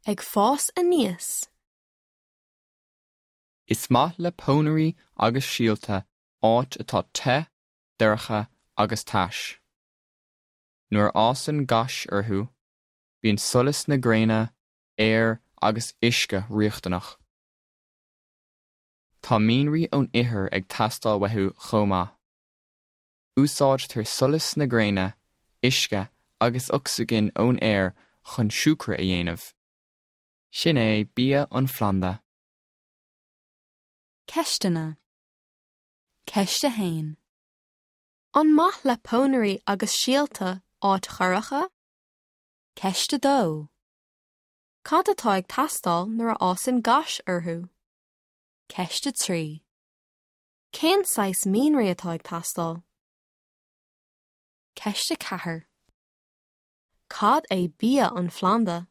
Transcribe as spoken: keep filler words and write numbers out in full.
Ag fás aníos. Is maith le pónairí agus síolta áit atá te, dorcha agus tais. Nuair a fhásann gais orthu, bíonn solas na gréine, aer agus uisce riachtanach. Tá mianraí ón ithir ag teastáil uathu chomh maith. Úsáidtear solas na gréine, uisce agus ocsaigin ón aer chun siúcra a dhéanamh. Sin é bia an phlanda. Ceisteanna. Ceist a haon. An maith le pónairí agus síolta áit dhorcha? Ceist a dó. Cad atá ag teastáil nuair a fhásann gais orthu? Ceist a trí. Cén saghas mianraí atá ag teastáil? Ceist a ceathair. Cad é bia an phlanda?